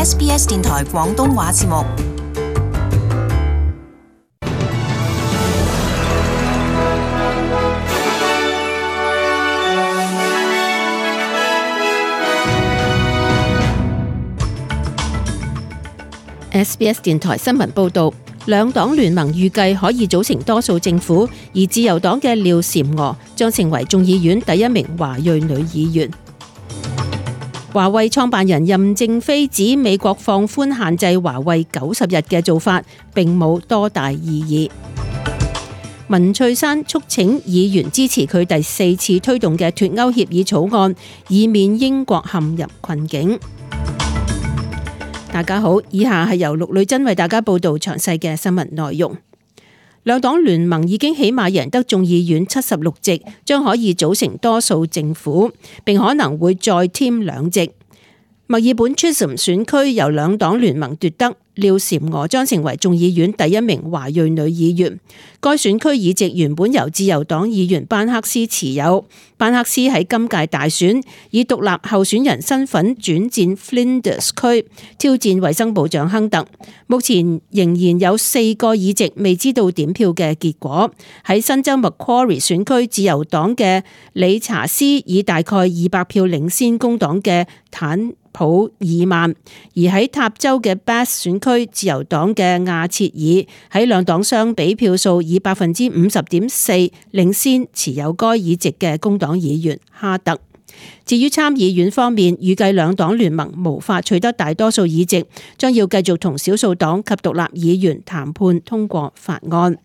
SBS 電台廣東話節目。SBS 電台新聞報導，兩黨聯盟預計可以組成多數政府，而自由黨嘅廖嬋娥將成為眾議院第一名華裔女議員。華為創辦人任正非指美國放寬限制華為90日嘅做法並冇多大意義。文翠珊促請議員支持佢第4次推動嘅脫歐協議草案，以免英國陷入困境。大家好，以下係由陸女真為大家報道詳細嘅新聞內容。兩黨聯盟已經起碼贏得眾議院76席，將可以組成多數政府，並可能會再添2席。墨爾本 Chisholm 選區由兩黨聯盟奪得，廖嬋娥將成為眾議院第一名華裔女議員。該選區議席原本由自由黨議員班克斯持有，班克斯喺今屆大選以獨立候選人身份轉戰 Flinders 區，挑戰衛生部長亨特。目前仍然有4個議席未知道點票嘅結果。喺新州 Macquarie 選區，自由黨嘅理查斯以大概200票領先工黨嘅坦普爾曼，而喺塔州嘅 Bass 選區，自由黨嘅亞切爾喺兩黨相比票數以 50.4% 領先持有該議席嘅工黨議員哈特。至於參議院方面，預計兩黨聯盟無法取得大多數議席，將要繼續同少數黨及獨立議員談判通過法案。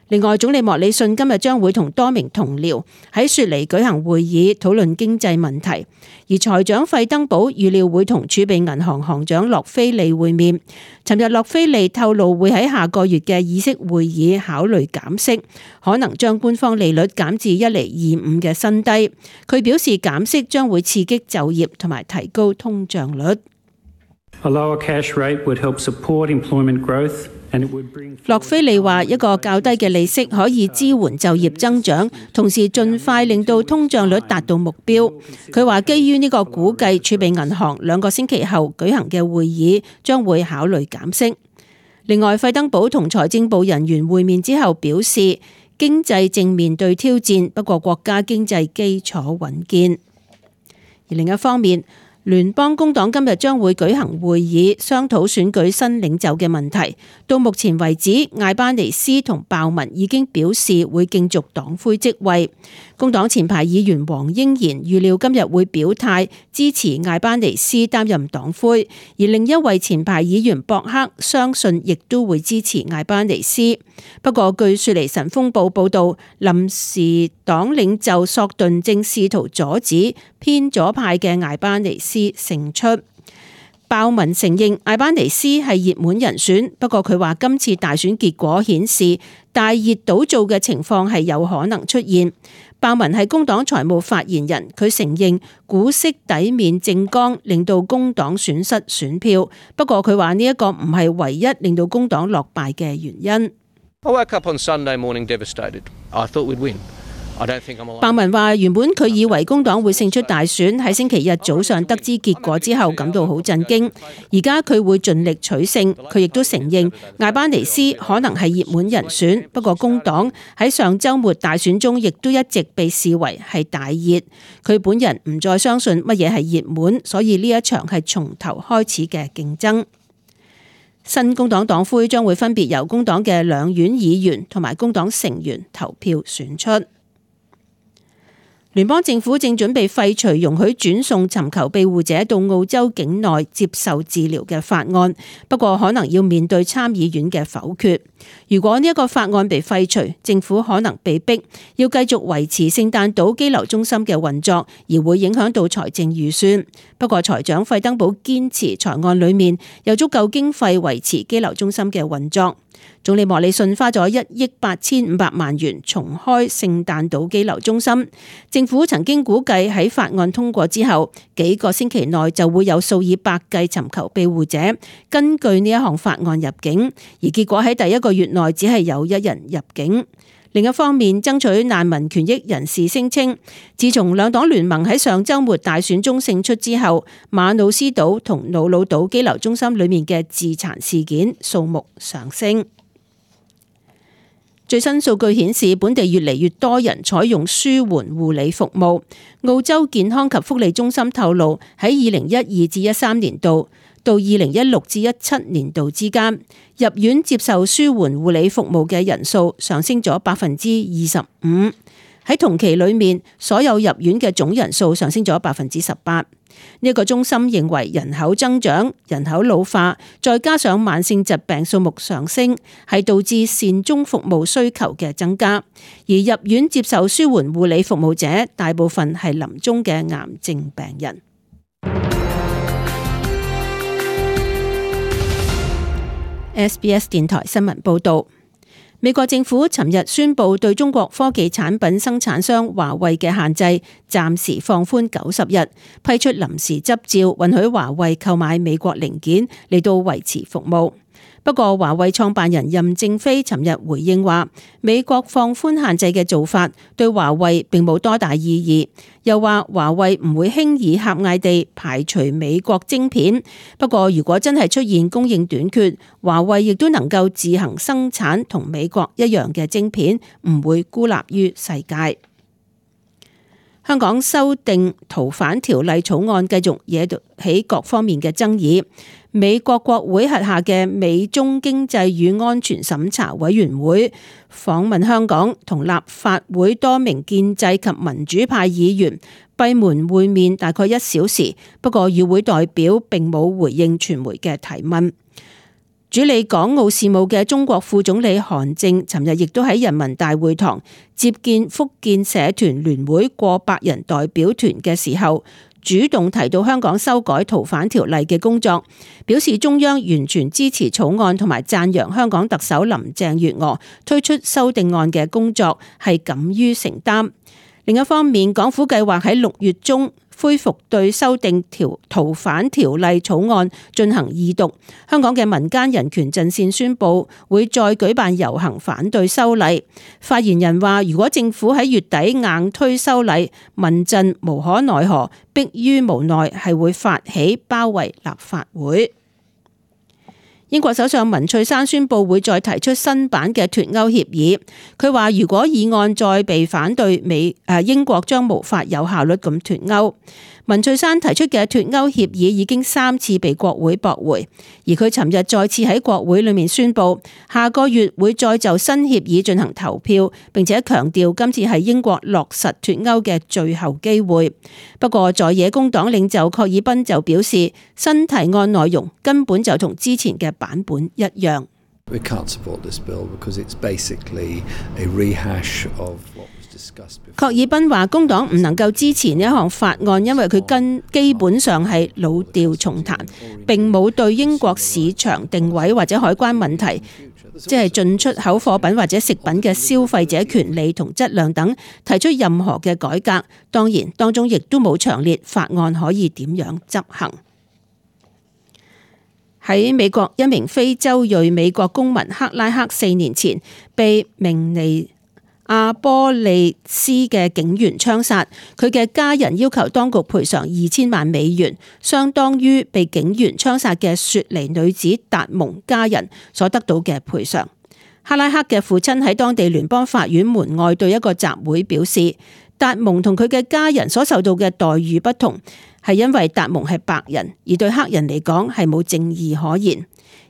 另外，總理莫里遜今日將會同多名同僚喺雪梨舉行會議，討論經濟問題。而財長費登堡預料會同儲備銀行行長洛菲利會面。尋日洛菲利透露會喺下個月嘅議息會議考慮減息，可能將官方利率減至1.25%嘅新低。佢表示減息將會刺激就業同埋提高通脹率。A lower cash rate would help support employment growth. 洛菲利話：一個較低嘅利息可以支援就業增長，同時盡快令到通脹率達到目標。佢話基於呢個估計，儲備銀行2個星期後舉行嘅會議將會考慮減息。另外，費登堡同財政部人員會面之後表示，經濟正面對挑戰，不過國家經濟基礎穩健。而另一方面，聯邦工黨今日將會舉行會議，商討選舉新領袖嘅問題。到目前為止，艾班尼斯同鮑文已經表示會競逐黨魁職位。工黨前排議員黃英賢預料今日會表態支持艾班尼斯擔任黨魁，而另一位前排議員博克相信亦都會支持艾班尼斯。不過，據雪梨晨鋒報報道，臨時黨領袖索頓正試圖阻止偏左派嘅艾班尼斯勝出。鮑文承認艾班尼斯係熱門人選，不過佢話今次大選結果顯示大熱倒灶嘅情況係有可能出現。鮑文係工黨財務發言人，佢承認股息抵免政綱令到工黨損失選票，不過佢話呢一個唔係唯一令到工黨落敗嘅原因。I woke up on Sunday morning devastated. I thought we'd win. 鮑文話原本佢以為工黨會勝出大選，喺星期日早上得知結果之後感到好震驚。而家佢會盡力取勝。佢亦都承認艾班尼斯可能係熱門人選，不過工黨喺上週末大選中亦都一直被視為係大熱。佢本人唔再相信乜嘢係熱門，所以呢一場係從頭開始嘅競爭。新工黨黨魁將會分別由工黨嘅兩院議員同埋工黨成員投票選出。聯邦政府正準備廢除容許轉送尋求庇護者到澳洲境內接受治療嘅法案，不過可能要面對參議院嘅否決。如果呢一個法案被廢除，政府可能被逼要繼續維持聖誕島羈留中心嘅運作，而會影響到財政預算。不過財長費登堡堅持財案裏面有足夠經費維持羈留中心嘅運作。總理莫里遜花咗1億8500萬元重開聖誕島羈留中心。政府曾經估計喺法案通過之後，幾個星期內就會有數以百計尋求庇護者根據呢一項法案入境，而結果喺第1個月內只係有1人入境。另一方面，爭取難民權益人士聲稱，自從兩黨聯盟喺上週末大選中勝出之後，馬努斯島同瑙魯島羈留中心裏面嘅自殘事件數目上升。最新數據顯示，本地越嚟越多人採用舒緩護理服務。澳洲健康及福利中心透露，喺2012至13年度到2016至17年度之間，入院接受舒緩護理服務嘅人數上升咗25%。喺同期裏面，所有入院嘅總人數上升咗18%。呢個中心認為人口增長、人口老化，再加上慢性疾病數目上升，係導致善終服務需求嘅增加。而入院接受舒緩護理服務者，大部分係臨終嘅癌症病人。SBS 電台新聞報導。美國政府尋日宣布對中國科技產品生產商華為嘅限制暫時放寬90日，批出臨時執照，允許華為購買美國零件嚟到維持服務。不過，華為創辦人任正非尋日回應話，美國放寬限制嘅做法對華為並冇多大意義，又話華為唔會輕易狹隘地排除美國晶片。不過，如果真係出現供應短缺，華為亦都能夠自行生產同美國一樣嘅晶片，唔會孤立於世界。香港修訂逃犯條例草案繼續惹起各方面嘅爭議。美國國會轄下嘅美中經濟與安全審查委員會訪問香港，同立法會多名建制及民主派議員閉門會面大概1小時，不過與會代表並冇回應傳媒嘅提問。主理港澳事務嘅中國副總理韓正尋日亦都喺人民大會堂接見福建社團聯會過百人代表團嘅時候，主動提到香港修改逃犯條例嘅工作，表示中央完全支持草案，同埋讚揚香港特首林鄭月娥推出修訂案嘅工作係敢於承擔。另一方面，港府計劃喺6月中恢復對修訂逃犯條例草案進行二讀。香港嘅民間人權陣線宣布會再舉辦遊行反對修例。發言人話，如果政府喺月底硬推修例，民陣無可奈何，迫於無奈係會發起包圍立法會。英國首相文翠珊宣布會再提出新版嘅脫歐協議。佢話如果議案再被反對，英國將無法有效率咁脫歐。文翠珊提出嘅脫歐協議已經3次被國會駁回，而佢尋日再次喺國會裏面宣布，下個月會再就新協議進行投票，並且強調今次係英國落實脫歐嘅最後機會。不過在野工黨領袖郝爾彬就表示，新提案內容根本就同之前嘅版本一樣。We can't support this bill because it's basically a rehash of what was discussed before. 郝爾彬話工黨唔能夠支持呢一項法案，因為佢基本上係老調重彈，並冇對英國市場定位或者海關問題，即係進出口貨品或者食品嘅消費者權利同質量等提出任何嘅改革。當然，當中亦都冇詳列法案可以點樣執行。喺美國，一名非洲裔美國公民克拉克4年前被明尼阿波利斯嘅警員槍殺，佢嘅家人要求當局賠償2000萬美元，相當於被警員槍殺嘅雪梨女子達蒙家人所得到嘅賠償。克拉克嘅父親喺當地聯邦法院門外對一個集會表示，達蒙同佢嘅家人所受到嘅待遇不同，係因為達蒙係白人，而對黑人嚟講係冇正義可言。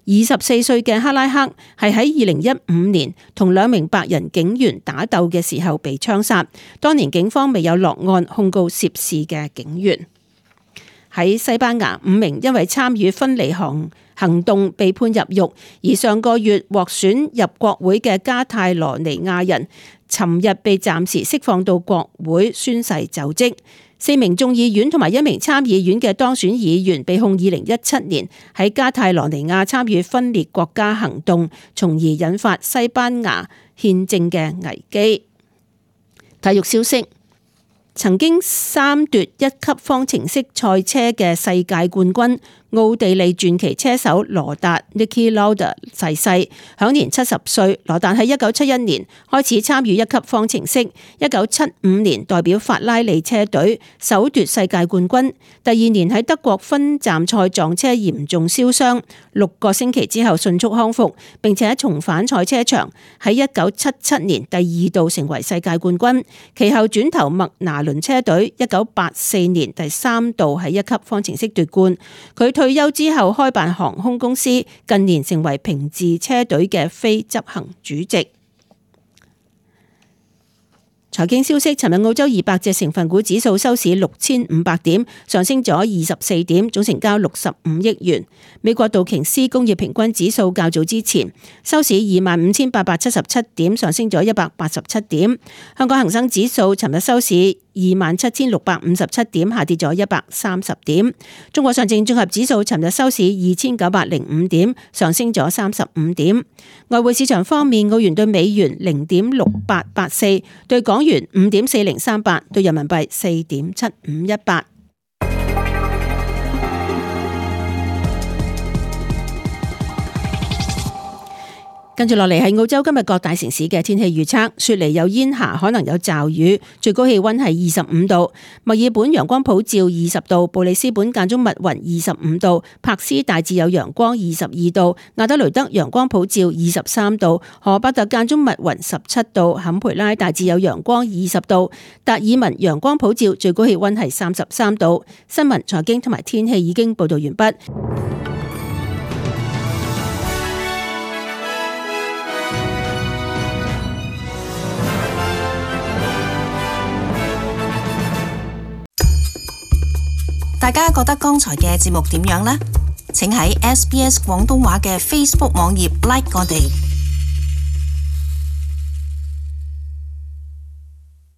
24歲嘅克拉克係喺2015年同2名白人警員打鬥嘅時候被槍殺，當年警方未有落案控告涉事嘅警員。喺西班牙，5名因為參與分離行動被判入獄，而上個月獲選入國會嘅加泰羅尼亞人，尋日被暫時釋放到國會宣誓就職。4名眾議院同埋1名參議院嘅當選議員被控2017年喺加泰羅尼亞參與分裂國家行動，從而引發西班牙憲政嘅危機。體育消息，曾經3奪1級方程式賽車嘅世界冠軍奧地利傳奇車手羅達 Niki Lauda 逝世，享年70歲。羅達喺1971年開始參與一級方程式，1975年代表法拉利車隊首奪世界冠軍。第二年喺德國分站賽撞車嚴重燒傷，6個星期之後迅速康復，並且重返賽車場，喺1977年第2度成為世界冠軍。其後轉投麥拿倫車隊，1984年第3度喺一級方程式奪冠。佢退休之後開辦航空公司，近年成為平治車隊嘅非執行主席。財經消息，尋日澳洲200隻成分股指數收市6500點，上升咗24點，總成交65億元。美國道瓊斯工業平均指數較早之前收市25,877點，上升咗187點。香港恒生指數尋日收市27,657點，下跌咗130點。中國上證綜合指數尋日收市2,905點，上升咗35點。外匯市場方面，澳元對美元0.6884，對港元5.4038，對人民幣4.7518。跟住落嚟係澳洲今日各大城市嘅天氣預測。雪梨有煙霞，可能有驟雨，最高氣溫係25度。墨爾本陽光普照20度，布里斯本間中密雲25度，珀斯大致有陽光22度，亞德雷德陽光普照23度，荷伯特間中密雲17度，坎培拉大致有陽光20度，達爾文陽光普照，最高氣溫係33度。新聞、財經同埋天氣已經報道完畢。大家覺得剛才嘅節目點樣呢？請喺SBS 廣東話嘅 Facebook 網頁 like 我哋。